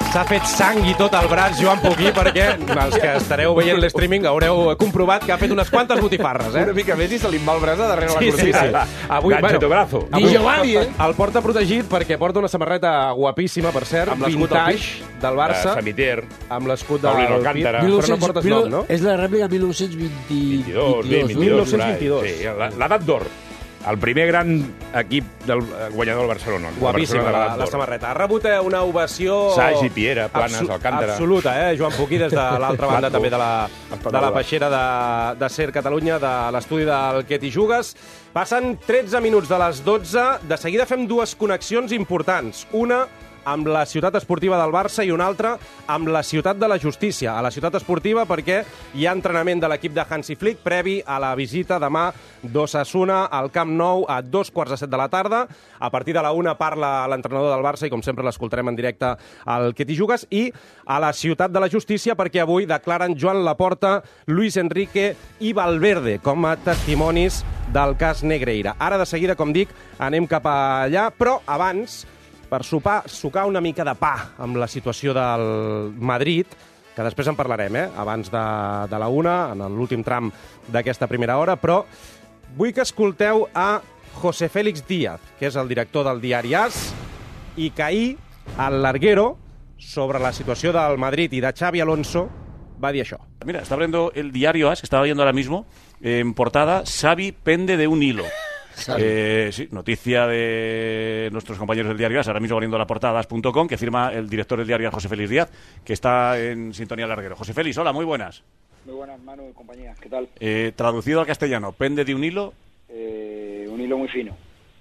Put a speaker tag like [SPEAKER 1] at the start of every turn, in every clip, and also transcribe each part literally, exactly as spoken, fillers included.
[SPEAKER 1] S'ha fet sang i tot el braç, Joan Poquí, perquè els que estareu veient l'streaming haureu comprovat que ha fet unes quantes botifarres, eh?
[SPEAKER 2] Una mica més i se li va el braç a darrere la cortina.
[SPEAKER 1] Sí, sí, sí. Avui,
[SPEAKER 3] Gancho brazo.
[SPEAKER 1] avui,
[SPEAKER 2] Giovanni, eh?
[SPEAKER 1] el porta protegit perquè porta una samarreta guapíssima, per cert,
[SPEAKER 3] Amb l'escut al
[SPEAKER 1] vintage del Barça,
[SPEAKER 3] Samitier.
[SPEAKER 1] amb l'escut del
[SPEAKER 3] Paulino
[SPEAKER 1] pit,
[SPEAKER 3] Alcántara.
[SPEAKER 1] però no portes nom, no?
[SPEAKER 4] És la rèplica mil nou-cents
[SPEAKER 3] vint-i-dos,
[SPEAKER 4] vint-i-dos.
[SPEAKER 3] vint,
[SPEAKER 1] mil
[SPEAKER 3] vint-i-dos.
[SPEAKER 1] nou-cents vint-i-dos.
[SPEAKER 3] Sí, l'edat d'or. El primer gran equip del guanyador del Barcelona. El
[SPEAKER 1] Guapíssima
[SPEAKER 3] Barcelona de
[SPEAKER 1] la,
[SPEAKER 3] l'edat
[SPEAKER 1] la
[SPEAKER 3] d'or.
[SPEAKER 1] samarreta. Ha rebut eh, una ovació...
[SPEAKER 3] Sagi, Piera, Planes,
[SPEAKER 1] abso-
[SPEAKER 3] Alcántara.
[SPEAKER 1] Absoluta, eh, Joan Poquí, des de l'altra banda
[SPEAKER 3] Blanco.
[SPEAKER 1] també de la, de la peixera de, de Ser Catalunya, de l'estudi del Que t'hi jugues. Passen tretze minuts de les dotze. De seguida fem dues connexions importants. Una amb la ciutat esportiva del Barça i una altra amb la ciutat de la justícia. A la ciutat esportiva perquè hi ha entrenament de l'equip de Hansi Flick previ a la visita demà d'Osasuna al Camp Nou a dos quarts de set de la tarda. A partir de la una parla l'entrenador del Barça i com sempre l'escoltarem en directe al Que t'hi jugues. I a la ciutat de la justícia perquè avui declaren Joan Laporta, Luis Enrique i Valverde com a testimonis del cas Negreira. Ara de seguida, com dic, anem cap allà, però abans, per sopar, sucar una mica de pa amb la situació del Madrid, que després en parlarem, eh? Abans de, de la una, en l'últim tram d'aquesta primera hora, però vull que escolteu a José Félix Díaz, que és el director del diari AS, i que ahir, al Larguero, sobre la situació del Madrid i de Xavi Alonso, va dir això.
[SPEAKER 5] Mira, está abriendo el diario AS, que estaba viendo ahora mismo, eh, en portada, Xavi pende de un hilo. Eh, sí, noticia de nuestros compañeros del diario AS, ahora mismo abriendo la portada as punto com, que firma el director del diario José Félix Díaz, que está en sintonía Larguero. José Félix, hola, muy buenas.
[SPEAKER 6] Muy buenas, Manu y compañía, ¿qué tal?
[SPEAKER 5] Eh, traducido al castellano, pende de un hilo.
[SPEAKER 6] Eh, un hilo muy fino,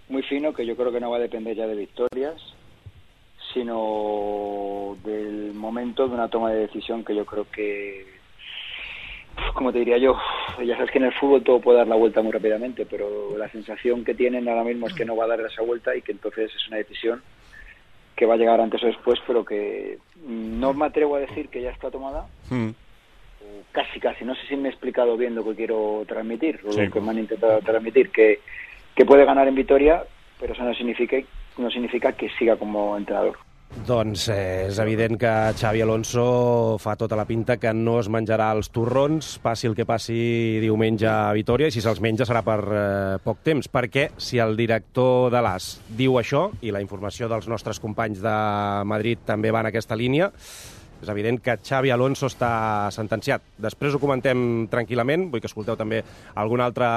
[SPEAKER 6] muy fino, que yo creo que no va a depender ya de victorias, sino del momento de una toma de decisión que yo creo que, como te diría yo, ya sabes que en el fútbol todo puede dar la vuelta muy rápidamente, pero la sensación que tienen ahora mismo es que no va a dar esa vuelta y que entonces es una decisión que va a llegar antes o después, pero que no me atrevo a decir que ya está tomada.
[SPEAKER 5] Mm.
[SPEAKER 6] Casi, casi. No sé si me he explicado bien lo que quiero transmitir, o
[SPEAKER 5] Sí.
[SPEAKER 6] lo que me han intentado transmitir, que, que puede ganar en Vitoria, pero eso no significa, no significa que siga como entrenador.
[SPEAKER 1] Doncs eh, és evident que Xavi Alonso fa tota la pinta que no es menjarà els torrons, passi el que passi diumenge a Vitoria, i si se'ls menja serà per eh, poc temps, perquè si el director de l'A S diu això, i la informació dels nostres companys de Madrid també va en aquesta línia, és evident que Xavi Alonso està sentenciat. Després ho comentem tranquil·lament, vull que escolteu també alguna altra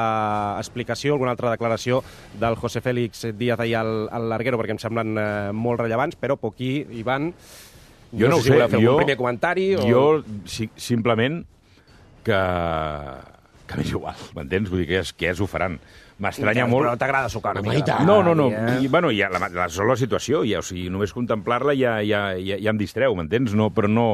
[SPEAKER 1] explicació, alguna altra declaració del José Félix Díaz ahir al, al Larguero, perquè em semblen eh, molt rellevants, però Poquí, Ivan,
[SPEAKER 3] Jo no,
[SPEAKER 1] sé
[SPEAKER 3] ho
[SPEAKER 1] si
[SPEAKER 3] sé,
[SPEAKER 1] voleu fer
[SPEAKER 3] jo,
[SPEAKER 1] un primer comentari o...
[SPEAKER 3] jo si, simplement que, que m'és igual, m'entens? Vull dir que, és, que ja s'ho faran. M'estranya molt...
[SPEAKER 1] Però t'agrada sucar una
[SPEAKER 4] Home,
[SPEAKER 1] mica
[SPEAKER 4] i
[SPEAKER 1] de
[SPEAKER 4] tant.
[SPEAKER 1] pa,
[SPEAKER 3] No, no, no.
[SPEAKER 1] eh?
[SPEAKER 3] I, bueno, ja, la, la sola situació, ja, o sigui, només contemplar-la ja, ja, ja, ja em distreu, m'entens? No, però no...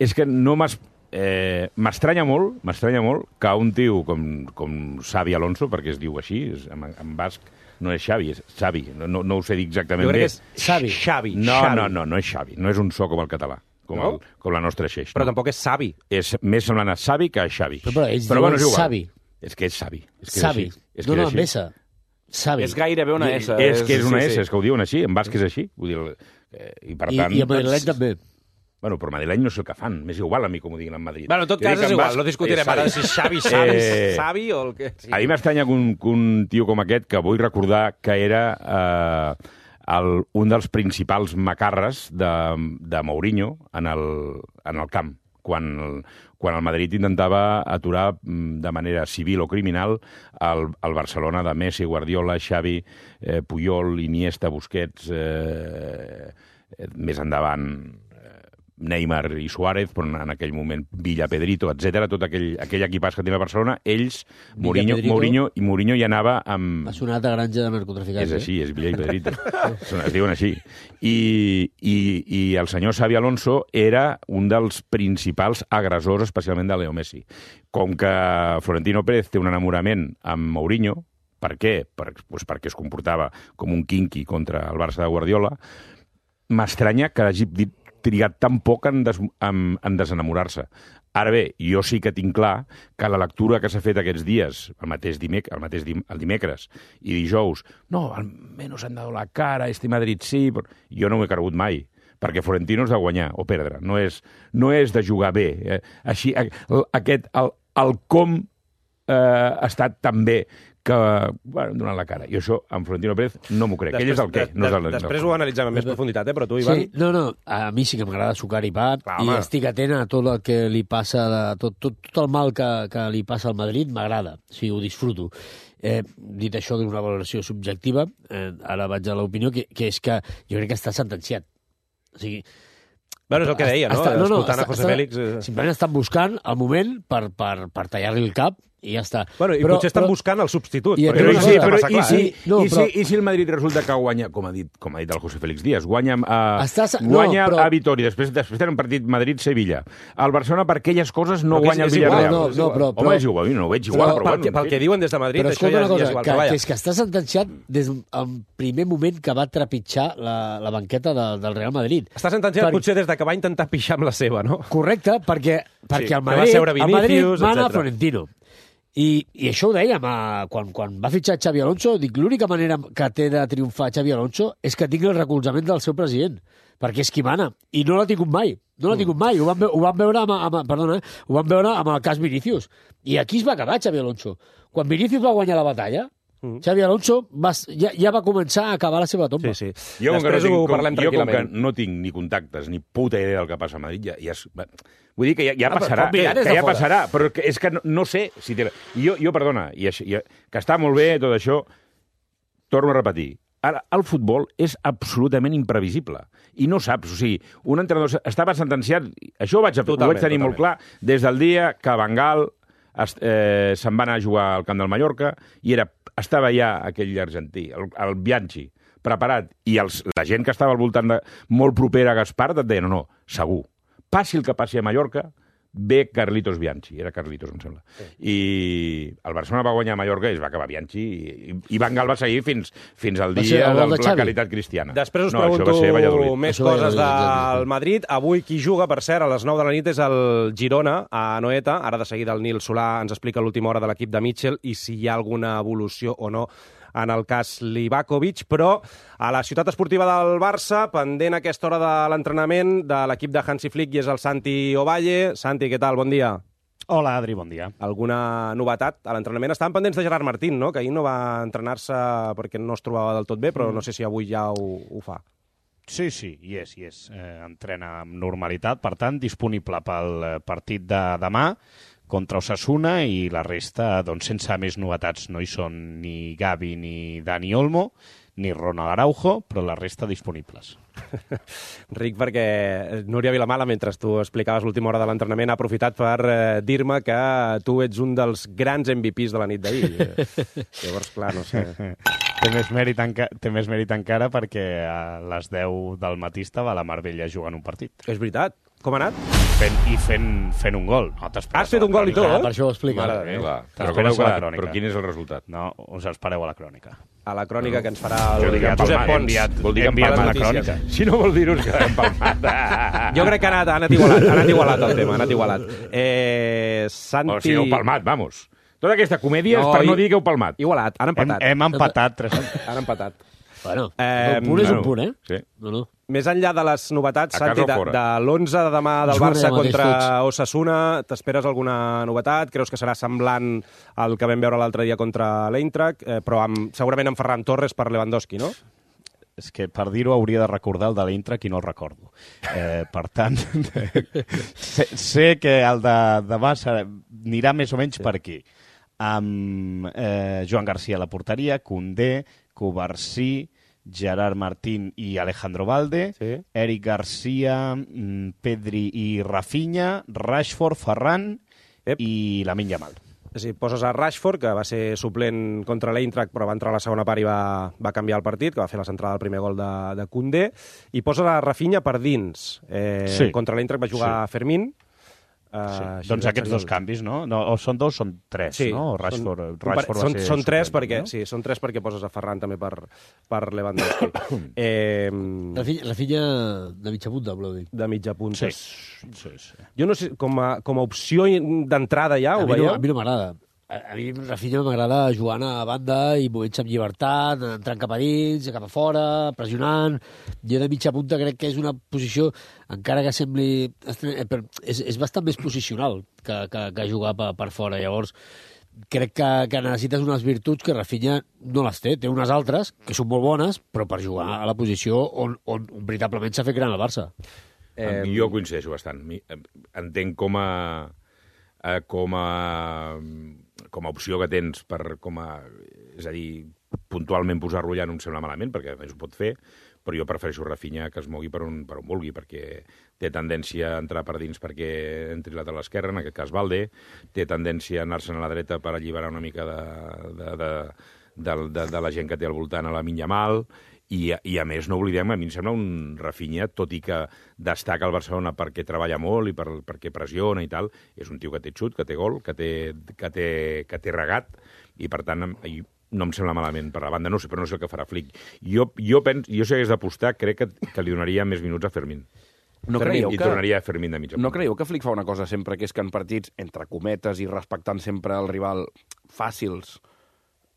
[SPEAKER 3] És que no m'has... Eh, m'estranya molt, m'estranya molt que un tio com, com Xavi Alonso, perquè es diu així, és, en, en basc no és Xavi, és Xavi, no, no, no ho sé dir exactament
[SPEAKER 1] Jo crec
[SPEAKER 3] bé.
[SPEAKER 1] que és Xavi. Xavi.
[SPEAKER 3] No,
[SPEAKER 1] Xavi.
[SPEAKER 3] no, no, no és Xavi, no és un so com el català, com,
[SPEAKER 1] No?
[SPEAKER 3] el, com la nostra xeix.
[SPEAKER 1] Però
[SPEAKER 3] no.
[SPEAKER 1] tampoc és savi.
[SPEAKER 3] És més semblant a Xavi que a Xavi.
[SPEAKER 4] Però, però ells
[SPEAKER 3] bueno,
[SPEAKER 4] diuen
[SPEAKER 3] és igual.
[SPEAKER 4] Xavi.
[SPEAKER 3] És que és Xavi. És que
[SPEAKER 4] Xavi.
[SPEAKER 3] És així. És
[SPEAKER 4] No,
[SPEAKER 3] que
[SPEAKER 4] no,
[SPEAKER 3] és
[SPEAKER 4] amb
[SPEAKER 3] així.
[SPEAKER 4] S. Xavi.
[SPEAKER 2] És gairebé una S.
[SPEAKER 3] És que és una
[SPEAKER 2] sí,
[SPEAKER 3] S,
[SPEAKER 2] sí.
[SPEAKER 3] és que ho diuen així, en basc és així. Vull dir, eh, i per
[SPEAKER 4] I,
[SPEAKER 3] tant...
[SPEAKER 4] I a Madrid també.
[SPEAKER 3] Bueno, però madrileny no sé el que fan. M'és igual a mi com ho diguin en Madrid.
[SPEAKER 1] Bueno, en tot
[SPEAKER 3] Jo
[SPEAKER 1] cas
[SPEAKER 3] dic
[SPEAKER 1] és
[SPEAKER 3] en
[SPEAKER 1] igual,
[SPEAKER 3] basc
[SPEAKER 1] no discutirem
[SPEAKER 3] és
[SPEAKER 1] ara
[SPEAKER 3] Xavi.
[SPEAKER 1] si és Xavi, Xavi,
[SPEAKER 3] Eh,
[SPEAKER 1] Xavi o el que... Sí.
[SPEAKER 3] A mi m'estranya que un, que un tio com aquest, que vull recordar que era eh, el, un dels principals macarres de, de Mourinho en el, en el camp, quan el, quan el Madrid intentava aturar de manera civil o criminal el, el Barcelona de Messi, Guardiola, Xavi, eh, Puyol, Iniesta, Busquets, eh, eh, més endavant eh, Neymar i Suárez, però en aquell moment Villa, Pedrito, etcètera, tot aquell, aquell equipàs que tenia Barcelona, ells,
[SPEAKER 4] Villa,
[SPEAKER 3] Mourinho,
[SPEAKER 4] Pedrito.
[SPEAKER 3] Mourinho, i Mourinho hi anava amb...
[SPEAKER 4] Ha sonat a granja de narcotraficants.
[SPEAKER 3] És així, és Villa i Pedrito. Són- es diuen així. I, i, I el senyor Xavi Alonso era un dels principals agressors, especialment de Leo Messi. Com que Florentino Pérez té un enamorament amb Mourinho, per què? Per, doncs perquè es comportava com un quinqui contra el Barça de Guardiola, m'estranya que hagi dit trigat tan poc en, des, en, en desenamorar-se. Ara bé, jo sí que tinc clar que la lectura que s'ha fet aquests dies, el mateix, dimec, el mateix dim, el dimecres i dijous, no, almenys han dado la cara, este Madrid sí, però jo no ho he cregut mai, perquè Florentino és de guanyar o perdre, no és, no és de jugar bé. Eh? Així, aquest, el, el com eh, ha estat tan bé que, bueno, donant la cara. I això, amb Florentino Pérez, no m'ho crec. Després, ell és el què.
[SPEAKER 1] De,
[SPEAKER 3] no és el,
[SPEAKER 1] després
[SPEAKER 3] no.
[SPEAKER 1] ho analitzem amb més profunditat, eh? Però tu, Ivan...
[SPEAKER 4] Sí, no, no, a mi sí que m'agrada sucar i pa,
[SPEAKER 1] Clar,
[SPEAKER 4] i
[SPEAKER 1] home.
[SPEAKER 4] estic atent a tot el que li passa, de, tot, tot, tot el mal que, que li passa al Madrid, m'agrada, o sigui, ho disfruto. Eh, dit això d'una valoració subjectiva, eh, ara vaig a l'opinió, que, que és que jo crec que està sentenciat. O sigui,
[SPEAKER 1] Bueno, és el que deia, no?
[SPEAKER 4] Està, no, no,
[SPEAKER 1] Escoltant
[SPEAKER 4] està,
[SPEAKER 1] a José
[SPEAKER 4] està,
[SPEAKER 1] Félix... Eh...
[SPEAKER 4] Simplement estan buscant el moment per, per, per tallar-li el cap i ja està.
[SPEAKER 1] Bueno, i
[SPEAKER 4] però,
[SPEAKER 1] potser estan
[SPEAKER 4] però,
[SPEAKER 1] buscant el substitut.
[SPEAKER 4] I
[SPEAKER 1] perquè
[SPEAKER 3] Però,
[SPEAKER 1] no
[SPEAKER 3] i,
[SPEAKER 1] sé
[SPEAKER 3] si,
[SPEAKER 1] si
[SPEAKER 3] però,
[SPEAKER 1] massa
[SPEAKER 3] i,
[SPEAKER 1] clar,
[SPEAKER 3] si,
[SPEAKER 1] eh?
[SPEAKER 4] No,
[SPEAKER 3] i,
[SPEAKER 4] però-
[SPEAKER 3] si, I si el Madrid resulta que guanya, com ha dit, com ha dit el José Félix Díaz, guanya, uh,
[SPEAKER 4] Estàs- no,
[SPEAKER 3] guanya
[SPEAKER 4] però-
[SPEAKER 3] a Vitòria, després, després tenen un partit Madrid-Sevilla. El Barcelona, per aquelles coses, no
[SPEAKER 1] Però que és-
[SPEAKER 3] guanya el
[SPEAKER 1] és igual,
[SPEAKER 3] Villarreal.
[SPEAKER 4] no, no, però-
[SPEAKER 3] Home, és igual, no ho veig igual,
[SPEAKER 4] però-
[SPEAKER 3] però,
[SPEAKER 1] Pel,
[SPEAKER 3] bueno,
[SPEAKER 1] que, pel que diuen des de Madrid,
[SPEAKER 4] Però
[SPEAKER 1] això
[SPEAKER 4] escolta
[SPEAKER 1] ja,
[SPEAKER 4] una
[SPEAKER 1] ja
[SPEAKER 4] cosa,
[SPEAKER 1] és igual.
[SPEAKER 4] que,
[SPEAKER 1] Però
[SPEAKER 4] que
[SPEAKER 1] vaja,
[SPEAKER 4] és que està sentenciat des del primer moment que va trepitjar la, la banqueta de, del Real Madrid.
[SPEAKER 1] està sentenciat
[SPEAKER 4] Per-
[SPEAKER 1] potser des de que va intentar pixar amb la seva, no?
[SPEAKER 4] Correcte, perquè, perquè
[SPEAKER 1] que
[SPEAKER 4] el
[SPEAKER 1] va
[SPEAKER 4] Madrid,
[SPEAKER 1] seure
[SPEAKER 4] el Madrid
[SPEAKER 1] Vinícius,
[SPEAKER 4] mana
[SPEAKER 1] etcètera.
[SPEAKER 4] Florentino. I, I això ho dèiem, a, quan, quan va fitxar Xavi Alonso, dic, l'única manera que té de triomfar Xavi Alonso és que tingui el recolzament del seu president, perquè és qui mana, i no l'ha tingut mai, no l'ha tingut mai, ho vam, ve- ho vam veure amb, amb, perdona, eh? ho vam veure amb el cas Vinícius, i aquí es va acabar Xavi Alonso. Quan Vinícius va guanyar la batalla,
[SPEAKER 1] Mm.
[SPEAKER 4] Xavi Alonso va, ja, ja va començar a acabar la seva tomba.
[SPEAKER 1] Sí, sí.
[SPEAKER 3] Jo, com que, no
[SPEAKER 1] Després
[SPEAKER 3] tinc,
[SPEAKER 1] ho
[SPEAKER 3] com,
[SPEAKER 1] parlem
[SPEAKER 3] jo com que
[SPEAKER 1] tranquil·lament.
[SPEAKER 3] no tinc ni contactes ni puta idea del que passa a Madrid, ja, ja és, bé, vull dir que ja, ja
[SPEAKER 4] Ah, però
[SPEAKER 3] passarà,
[SPEAKER 4] pot mirar
[SPEAKER 3] que,
[SPEAKER 4] des
[SPEAKER 3] que
[SPEAKER 4] de
[SPEAKER 3] ja
[SPEAKER 4] fora.
[SPEAKER 3] passarà, però que, és que no, no sé si té... Jo, jo perdona, i això, jo, que està molt bé tot això, torno a repetir, ara, el futbol és absolutament imprevisible. I no saps, o sigui, un entrenador estava sentenciat, això ho vaig,
[SPEAKER 1] Totalment,
[SPEAKER 3] ho vaig tenir molt
[SPEAKER 1] totalment.
[SPEAKER 3] clar, des del dia que Van Gaal es, eh, se'n va anar a jugar al camp del Mallorca i era, estava ja aquell argentí, el, el Bianchi, preparat, i els, la gent que estava al voltant de, molt propera a Gaspar et deia, no, no, segur, passi el que passi a Mallorca, ve Carlitos Bianchi, era Carlitos, em sembla. Sí. I el Barcelona va guanyar a Mallorca i es va acabar Bianchi, i, i Van Gaal va seguir fins, fins al
[SPEAKER 4] Va ser
[SPEAKER 3] dia
[SPEAKER 4] el
[SPEAKER 3] de
[SPEAKER 4] gol de
[SPEAKER 3] la
[SPEAKER 4] Xavi?
[SPEAKER 3] caritat cristiana.
[SPEAKER 1] Després us
[SPEAKER 3] no,
[SPEAKER 1] pregunto
[SPEAKER 3] això va ser Valladolid.
[SPEAKER 1] més
[SPEAKER 4] Això va
[SPEAKER 1] coses
[SPEAKER 4] Valladolid,
[SPEAKER 1] del Madrid. Avui qui juga, per cert, a les nou de la nit és el Girona, a Anoeta. Ara de seguida el Nil Solà ens explica l'última hora de l'equip de Mitchell i si hi ha alguna evolució o no en el cas Livakovic, però a la ciutat esportiva del Barça, pendent a aquesta hora de l'entrenament de l'equip de Hansi Flick i és el Santi Ovalle. Santi, què tal? Bon dia.
[SPEAKER 7] Hola, Adri, bon dia.
[SPEAKER 1] Alguna novetat a l'entrenament? Estaven pendents de Gerard Martín, no? Que ahir no va entrenar-se perquè no es trobava del tot bé, però no sé si avui ja ho, ho fa.
[SPEAKER 7] Sí, sí, hi és, hi és. Eh, entrena amb normalitat, per tant, disponible pel eh, partit de demà contra Osasuna i la resta, doncs, sense més novetats. No hi són ni Gavi ni Dani Olmo, ni Ronald Araujo, però la resta disponibles.
[SPEAKER 1] Ric, perquè Núria Vilamala, mentre tu explicaves l'última hora de l'entrenament, ha aprofitat per eh, dir-me que tu ets un dels grans M V Ps de la nit d'ahir. Eh, Llavors, clar, no sé...
[SPEAKER 7] Té més, mèrit enca té més mèrit encara perquè a les deu del matí estava a la Marbella jugant un partit.
[SPEAKER 1] És veritat. Com ha anat?
[SPEAKER 7] Fent, I fent, fent un gol. No t'esperes
[SPEAKER 1] Has fet
[SPEAKER 7] a la
[SPEAKER 1] un gol i
[SPEAKER 7] crònica.
[SPEAKER 1] tot,
[SPEAKER 4] Ah, per això ho explica.
[SPEAKER 1] Mare de Déu.
[SPEAKER 3] Clar, però com
[SPEAKER 7] T'esperes
[SPEAKER 3] heu
[SPEAKER 7] a la
[SPEAKER 3] quedat?
[SPEAKER 7] crònica.
[SPEAKER 3] Però quin és el resultat?
[SPEAKER 7] No, us espereu a la crònica.
[SPEAKER 1] A la crònica que ens farà
[SPEAKER 3] Jo
[SPEAKER 1] el
[SPEAKER 3] dic que
[SPEAKER 1] Josep
[SPEAKER 3] empalmat,
[SPEAKER 1] Pons.
[SPEAKER 7] enviat-
[SPEAKER 3] Vol dir que
[SPEAKER 7] enviat
[SPEAKER 3] empalmat
[SPEAKER 7] la
[SPEAKER 3] notícies.
[SPEAKER 7] crònica.
[SPEAKER 3] Si no vol dir-ho, que empalmat.
[SPEAKER 1] Jo crec que ha anat, ha anat igualat, ha anat igualat el tema, ha anat igualat. Eh, Santi...
[SPEAKER 3] O sigui, heu palmat, vamos. Tota aquesta comèdia és per
[SPEAKER 1] i-
[SPEAKER 3] no dir que heu palmat.
[SPEAKER 1] Igualat, han
[SPEAKER 7] Hem,
[SPEAKER 1] empatat.
[SPEAKER 7] hem empatat tres.
[SPEAKER 1] Han empatat.
[SPEAKER 4] Bueno,
[SPEAKER 1] Eh,
[SPEAKER 4] un punt és
[SPEAKER 3] bueno,
[SPEAKER 4] un punt, eh?
[SPEAKER 3] sí.
[SPEAKER 4] No, no.
[SPEAKER 1] Més enllà de les novetats,
[SPEAKER 3] A casa
[SPEAKER 1] Santi,
[SPEAKER 3] o
[SPEAKER 1] de,
[SPEAKER 3] fora?
[SPEAKER 1] de l'onze de demà del
[SPEAKER 4] Juguen
[SPEAKER 1] Barça
[SPEAKER 4] allà mateix
[SPEAKER 1] contra
[SPEAKER 4] tots.
[SPEAKER 1] Osasuna, t'esperes alguna novetat? Creus que serà semblant al que vam veure l'altre dia contra l'Eintracht, eh, però amb, segurament amb Ferran Torres per Lewandowski, no?
[SPEAKER 7] És que per dir-ho hauria de recordar el de l'Eintracht i no el recordo. Eh, per tant, sé, sé que el de demà serà, anirà més o menys sí. per aquí. Amb eh, Joan García a la porteria, Koundé, Covarsí, Gerard Martín i Alejandro Valde,
[SPEAKER 1] Sí.
[SPEAKER 7] Eric Garcia, mm, Pedri i Rafinha, Rashford, Ferran
[SPEAKER 1] Ep.
[SPEAKER 7] i Lamine Yamal.
[SPEAKER 1] És a dir, poses a Rashford, que va ser suplent contra l'Eintracht, però va entrar a la segona part i va, va canviar el partit, que va fer la centrada del primer gol de, de Koundé, i poses a Rafinha per dins. Eh,
[SPEAKER 7] Sí.
[SPEAKER 1] Contra l'Eintracht va jugar
[SPEAKER 7] Sí.
[SPEAKER 1] Fermín.
[SPEAKER 7] Sí.
[SPEAKER 1] Uh,
[SPEAKER 7] Doncs aquests dos canvis, no? no? O són dos, són tres,
[SPEAKER 1] Sí,
[SPEAKER 7] no? Rashford,
[SPEAKER 1] són,
[SPEAKER 7] Rashford va
[SPEAKER 1] són,
[SPEAKER 7] ser
[SPEAKER 1] són tres
[SPEAKER 7] suplent,
[SPEAKER 1] perquè
[SPEAKER 7] no?
[SPEAKER 1] sí, són tres perquè poses a Ferran també per, per Lewandowski. eh,
[SPEAKER 4] La filla, la filla de mitja punta, voleu dir.
[SPEAKER 1] de mitja punta.
[SPEAKER 7] Sí, sí, sí.
[SPEAKER 1] Jo no sé, com a, com a opció d'entrada ja,
[SPEAKER 4] A
[SPEAKER 1] ho
[SPEAKER 4] mi, no,
[SPEAKER 1] veieu?
[SPEAKER 4] a mi no m'agrada. a, a mi Rafinha m'agrada jugant a banda i movent-se amb llibertat, entrant cap a dins, cap a fora, pressionant. Jo de mitja punta crec que és una posició, encara que sembli... És, és bastant més posicional que, que, que jugar per, per fora. Llavors, crec que, que necessites unes virtuts que Rafinha no les té. Té unes altres, que són molt bones, però per jugar a la posició on, on veritablement s'ha fet gran el Barça.
[SPEAKER 3] Eh... Jo coincideixo bastant. Entenc com a, com a, com a opció que tens per, com a, és a dir, puntualment posar-lo allà no em sembla malament, perquè a més ho pot fer, però jo prefereixo Rafinha que es mogui per on, per on vulgui, perquè té tendència a entrar per dins perquè entri lateral esquerra, en aquest cas Balde, té tendència a anar-se'n a la dreta per alliberar una mica de, de, de, de, de, de la gent que té al voltant a la Minyamal, i, i a més no oblidem, a mi em sembla un Rafinha, tot i que destaca el Barcelona perquè treballa molt i per, perquè pressiona i tal, és un tio que té xut, que té gol, que té, que té, que té regat, i per tant no em sembla malament per la banda, no sé, però no sé el que farà Flick. Jo, jo, pens, jo si hagués d'apostar, crec que, que li donaria més minuts a Fermín.
[SPEAKER 2] No
[SPEAKER 3] Fermín,
[SPEAKER 2] creieu
[SPEAKER 3] I
[SPEAKER 2] que...
[SPEAKER 3] tornaria a Fermín de mitja punta.
[SPEAKER 2] No creieu que Flick fa una cosa sempre, que és que en partits, entre cometes i respectant sempre el rival, fàcils,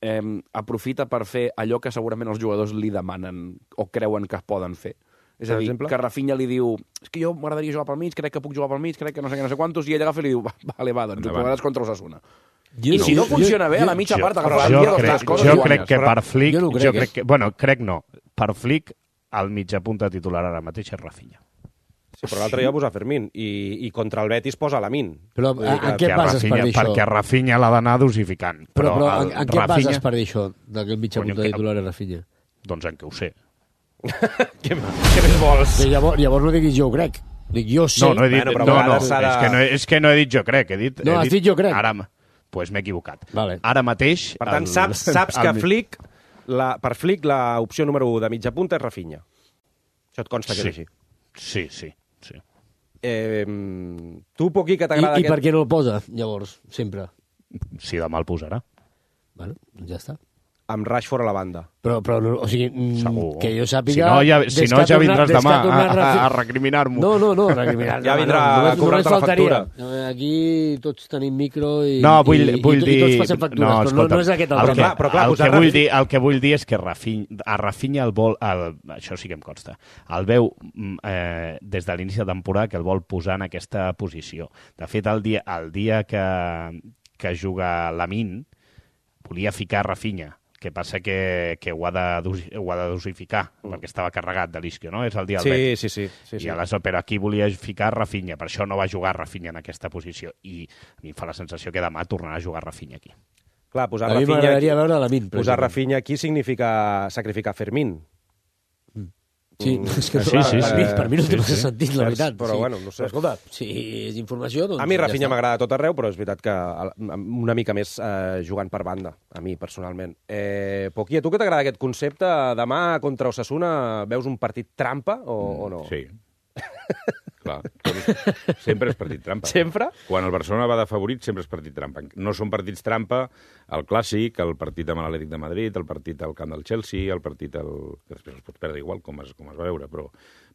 [SPEAKER 2] eh, aprofita per fer allò que segurament els jugadors li demanen o creuen que es poden fer? És a dir, que Rafinha li diu és que jo m'agradaria jugar pel mig, crec que puc jugar pel mig, crec que no sé què, no sé quantos, i ell agafa i li diu vale, va, doncs ho provaràs contra Osasuna.
[SPEAKER 4] Jo
[SPEAKER 2] I
[SPEAKER 4] no,
[SPEAKER 2] si no
[SPEAKER 4] jo,
[SPEAKER 2] funciona
[SPEAKER 4] jo,
[SPEAKER 2] bé, a la mitja
[SPEAKER 7] jo,
[SPEAKER 2] part agafarà
[SPEAKER 7] jo
[SPEAKER 2] el dia
[SPEAKER 7] crec,
[SPEAKER 2] dos coses
[SPEAKER 7] jo
[SPEAKER 2] i
[SPEAKER 7] crec que per Flick,
[SPEAKER 4] jo no crec,
[SPEAKER 7] jo crec que, bueno, crec no, per Flick el mitja punta titular ara mateix és Rafinha.
[SPEAKER 1] Sí, però l'altre dia posa Fermín i, i contra el Betis posa Lamin.
[SPEAKER 4] Però
[SPEAKER 1] Vull dir
[SPEAKER 4] en
[SPEAKER 1] que-
[SPEAKER 4] què et bases per
[SPEAKER 7] Rafinha,
[SPEAKER 4] dir això?
[SPEAKER 7] perquè Rafinha l'ha d'anar dosificant.
[SPEAKER 4] Però, però
[SPEAKER 7] el
[SPEAKER 4] en, en què et
[SPEAKER 7] Rafinha-
[SPEAKER 4] bases per dir això, de que el mitja
[SPEAKER 7] Conyo,
[SPEAKER 4] punta
[SPEAKER 7] que-
[SPEAKER 4] titular és Rafinha?
[SPEAKER 7] Doncs en què ho sé.
[SPEAKER 1] Què, què més vols?
[SPEAKER 4] Sí, llavors, llavors no diguis jo ho crec. Dic jo sé.
[SPEAKER 7] No, no he dit,
[SPEAKER 1] Bueno, però a
[SPEAKER 7] no, no,
[SPEAKER 1] vegades s'ha de-
[SPEAKER 7] és, que no, és que no he dit jo crec, he dit...
[SPEAKER 4] No,
[SPEAKER 7] he
[SPEAKER 4] has dit jo crec.
[SPEAKER 7] Ara, doncs pues m'he equivocat.
[SPEAKER 4] Vale.
[SPEAKER 7] Ara mateix...
[SPEAKER 1] Per tant,
[SPEAKER 7] el-
[SPEAKER 1] saps, saps que
[SPEAKER 7] el-
[SPEAKER 1] Flick, la, per Flick l'opció número u de mitja punta és Rafinha. Això et consta que
[SPEAKER 7] Sí.
[SPEAKER 1] és així.
[SPEAKER 7] Sí, sí, sí.
[SPEAKER 1] Eh, tu, Poquí, que
[SPEAKER 4] I,
[SPEAKER 1] t'agrada
[SPEAKER 4] I per
[SPEAKER 1] aquest...
[SPEAKER 4] què no el posa, llavors, sempre?
[SPEAKER 7] Si demà el posarà.
[SPEAKER 4] Bueno, doncs ja està.
[SPEAKER 1] Amb Rashford a la banda.
[SPEAKER 4] Però, però no, o sigui, mm,
[SPEAKER 7] Segur.
[SPEAKER 4] que jo
[SPEAKER 7] Si
[SPEAKER 4] sàpiga...
[SPEAKER 7] no, ja,
[SPEAKER 4] des
[SPEAKER 7] si no,
[SPEAKER 4] que ha
[SPEAKER 7] ja
[SPEAKER 4] tornat-
[SPEAKER 7] vindràs
[SPEAKER 4] des que
[SPEAKER 7] demà
[SPEAKER 4] ha tornat
[SPEAKER 7] a, a,
[SPEAKER 4] Rafi-
[SPEAKER 7] a recriminar-m'ho.
[SPEAKER 4] No, no, no, recriminar.
[SPEAKER 1] Ja
[SPEAKER 4] no,
[SPEAKER 1] vindrà
[SPEAKER 4] no,
[SPEAKER 1] a
[SPEAKER 4] només,
[SPEAKER 1] cobrar-te
[SPEAKER 4] només
[SPEAKER 1] la
[SPEAKER 4] faltaria.
[SPEAKER 1] factura.
[SPEAKER 4] Aquí tots tenim micro i,
[SPEAKER 7] No, vull,
[SPEAKER 4] i,
[SPEAKER 7] vull
[SPEAKER 4] i,
[SPEAKER 7] dir...
[SPEAKER 4] i tots passem factures,
[SPEAKER 7] no,
[SPEAKER 4] però no,
[SPEAKER 7] escolta,
[SPEAKER 4] no és aquest el,
[SPEAKER 7] el
[SPEAKER 4] tema.
[SPEAKER 7] que,
[SPEAKER 1] Clar, però clar,
[SPEAKER 7] el,
[SPEAKER 1] posar
[SPEAKER 7] que vull
[SPEAKER 1] Rafi-
[SPEAKER 7] dir, el que vull dir és que Rafinha, a Rafinha el vol... El, això sí que em consta. El veu mm, eh, des de l'inici de temporada que el vol posar en aquesta posició. De fet, el dia, el dia que, que juga Lamin volia ficar Rafinha, que passa que, que ho, ha de, dosi- ho ha de dosificar, mm. perquè estava carregat de l'isquio, no? És el dia del
[SPEAKER 1] Sí,
[SPEAKER 7] Betis.
[SPEAKER 1] sí, sí. sí, sí.
[SPEAKER 7] I aleshores, però aquí volia ficar Rafinha, per això no va jugar Rafinha en aquesta posició. I a mi em fa la sensació que demà tornarà a jugar Rafinha aquí.
[SPEAKER 1] Clar, posar
[SPEAKER 4] A mi
[SPEAKER 1] Rafinha,
[SPEAKER 4] m'agradaria
[SPEAKER 1] aquí,
[SPEAKER 4] veure la Min.
[SPEAKER 1] posar Rafinha aquí significa sacrificar Fermín.
[SPEAKER 4] Sí,
[SPEAKER 1] Mm.
[SPEAKER 4] és que
[SPEAKER 7] Sí,
[SPEAKER 4] per,
[SPEAKER 7] sí,
[SPEAKER 4] per,
[SPEAKER 7] sí.
[SPEAKER 4] mi, per mi no té
[SPEAKER 7] Sí,
[SPEAKER 4] massa
[SPEAKER 7] sí.
[SPEAKER 4] sentit, la veritat.
[SPEAKER 1] Però,
[SPEAKER 4] sí.
[SPEAKER 1] bueno, no sé.
[SPEAKER 4] Però, escolta, si és informació, doncs...
[SPEAKER 1] A mi
[SPEAKER 4] ja
[SPEAKER 1] Rafinha
[SPEAKER 4] està.
[SPEAKER 1] m'agrada a tot arreu, però és veritat que a- una mica més eh, jugant per banda, a mi, personalment. Eh, Poquí, a tu que t'agrada aquest concepte, demà contra Osasuna veus un partit trampa o, o no?
[SPEAKER 3] Sí. Clar, sempre és partit trampa.
[SPEAKER 1] Sempre?
[SPEAKER 3] Quan el Barcelona va de favorit, sempre és partit trampa. No són partits trampa el Clàssic, el partit amb l'Atlètic de Madrid, el partit al camp del Chelsea, el partit al... que després els pots perdre igual, com es, com es va veure, però